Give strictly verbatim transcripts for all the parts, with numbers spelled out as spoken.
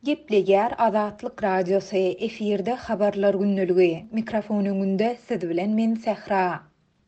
Gepleýär Azatlyk Radiosy, efirde Habarlar gündeligi. Mikrofon öňünde siz bilen men Sähra.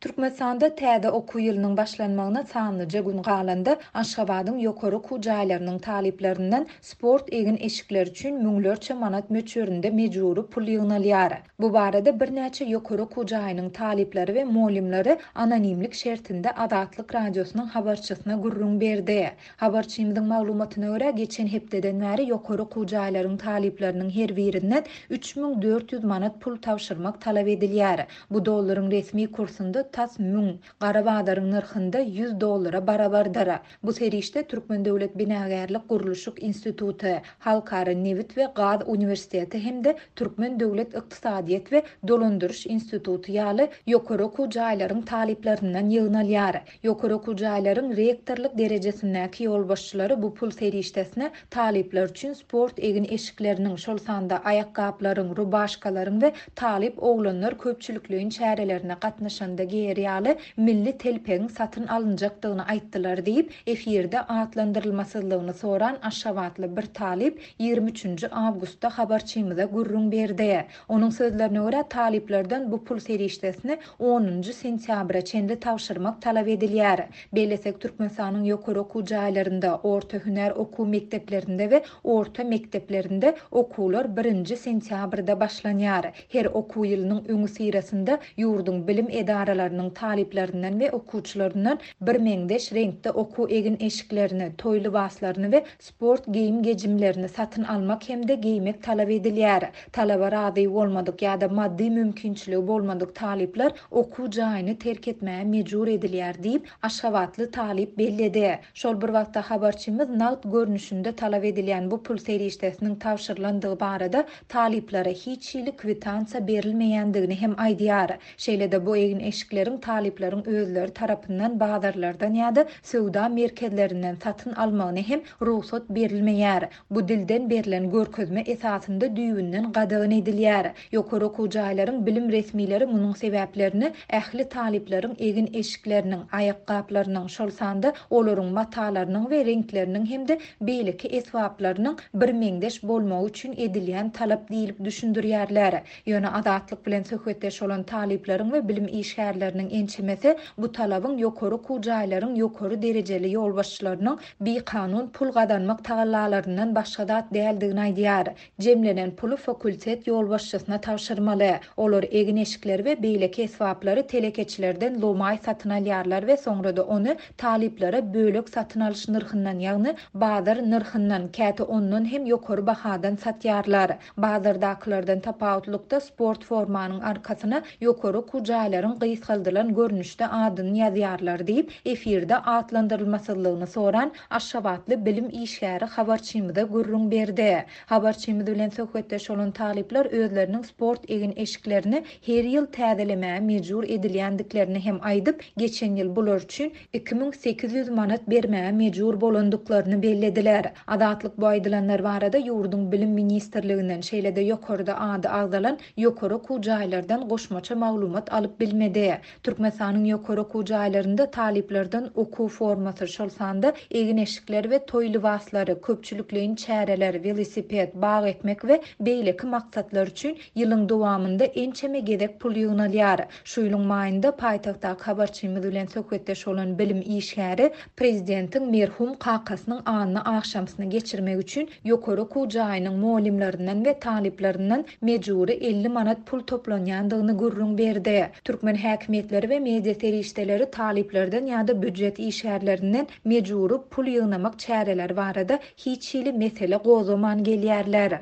Türkmenistanda täze okuw ýylynyň başlanmagyna sanlyja gün galanda Aşgabadyň ýokary okuw jaýlarynyň talyplaryndan sport egin-eşikleri üçin müňlerçe manat möçberinde mejbury pul ýygnalýar. Bu barada birnäçe ýokary okuw jaýynyň talyplary we mugallymlary anonimlik şertinde Azatlyk Radiosynyň habarçysyna gürrüň berdi. Habarçymyzyň maglumatyna görä, geçen hepdeden bäri ýokary okuw jaýlaryň talyplarynyň her birinden üç müň dört ýüz manat pul tabşyrmak talap edilýär. Bu dollaryň resmi kursunda tas müň, gara bazaryň nyrhynda ýüz dollara barabardyr. Bu serişde Türkmen döwlet binagärlik gurluşyk instituty, Halkara nebit we gaz uniwersiteti hem-de Türkmen döwlet ykdysadyýet we dolandyryş instituty ýaly ýokary okuw jaýlaryň talyplaryndan ýygnalýar. Ýokary okuw jaýlaryň rektorlyk derejesindäki ýolbaşçylary bu pul serişdesine talyplar üçin sport egin-eşikleriniň, şol sanda aýakgaplaryň, rubaşkalaryň we talyp oglanlar köpçülikleýin çärelerine gatnaşanda geýer ýaly milli telpegiň satyn alynjakdygyny aýtdylar diýip, efirde atlandyrylmasyzlygyny soran aşgabatly bir talyp ýigrimi üçünji awgustda habarçymyza gürrüň berdi. Onuň sözlerine görä, talyplardan bu pul serişdesini onunjy sentýabra çenli tabşyrmak talap edilýär. Bellesek, Türkmenistanyň ýokary okuw jaýlarynda, orta hünär okuw mekdeplerinde we orta mekdeplerinde okuwlar birinji sentýabrda başlanýar. Her okuw ýylynyň öňüsyrasynda ýurduň bilim edaralarynyň talyplaryndan we okuwçylaryndan birmeňzeş reňkde okuw egin-eşiklerini, toý lybaslaryny we sport geýim-gejimlerini satyn almak hem-de geýmek talap edilýär. Talaba razy bolmadyk ýa-da maddy mümkinçiligi bolmadyk talyplar okuw jaýyny terk etmäge mejbur edilýär diýip, aşgabatly talyp belledi. Şol bir wagtda habarçymyz nagt görnüşinde talap edilýän bu pul serişdesiniň tabşyrylandygy barada talyplara hiç hili kwitansiýa berilmeýändigini hem aýdýar. Şeýle-de bu egin-eşikleriň talyplaryň özleri tarapyndan bazarlardan ýa-da söwda merkezlerinden satyn almagyna hem rugsat berilmeýär. Bu dilden berlen görkezme esasynda düýbünden gadagan edilýär. Ýokary okuw jaýlaryň bilim resmileri munuň sebäplerini ähli talyplaryň egin-eşikleriniň, aýakgaplarynyň, şol sanda olaryň matalarynyň we reňkleriniň hem-de beýleki esbaplarynyň birmeňzeş bolmagy üçin edilýän talap diýilip düşündirýärler. Ýöne Azatlyk bilen söhbetdeş bolan talyplaryň we bilim işgärleriniň ençemesi bu talabyň ýokary okuw jaýlaryň ýokary derejeli ýolbaşçylarynyň bikanun pul gazanmak tagallalaryndan başga zat däldigini aýdýar. Jemlenen puly fakultet ýolbaşçysyna tabşyrmaly. Olar egin-eşikleri we beýleki esbaplary telekeçilerden lomaý satyn alýarlar we soňra-da ony talyplara bölek satyn alyş nyrhyndan, ýagny bazar nyrhyndan, käte ondan hem ýokary bahadan satýarlar. Bazardakylardan tapawutlykda sport formanyň arkasyna ýokary okuw jaýlaryň gysgaldylan görnüşde adyny ýazýarlar diýip, efirde atlandyrylmasyzlygyny soran aşgabatly bilim işgäri habarçymyza gürrüň berdi. Habarçymyz bilen söhbetdeş bolan talyplar özleriniň sport egin-eşiklerini her ýyl täzelemäge mejbur edilýändiklerini hem aýdyp, geçen ýyl bular üçin iki müň sekiz ýüz manat bermäge mejbur bolandyklaryny bellediler. Azatlyk bu aýdylanlar barada ýurduň bilim ministrliginden, şeýle-de ýokarda ady agzalan ýokary okuw jaýlardan goşmaça maglumat alyp bilmedi. Türkmenistanyň ýokary okuw jaýlarynda talyplardan okuw formasy, şol sanda egin-eşikler we toý lybaslary, köpçülikleýin çäreler, welosiped, bag ekmek we beýleki maksatlar üçin ýylyň dowamynda ençeme gezek pul ýygnalýar. Şu ýylyň maýynda paýtagtdaky habarçymyz bilen söhbetdeş bolan bilim işgäri prezidentiň merhum kakasynyň anyny agşamsyny geçirmek üçin ýokary okuw jaýynyň mugallymlaryndan we talyplaryndan mejbury elli manat pul toplanýandygyny gürrüň berdi. Türkmen häkimiýetleri we media serişdeleri talyplardan ýa-da býujet işgärlerinden mejbury pul ýygnamak çäreleri barada hiç hili mesele gozgaman gelýärler.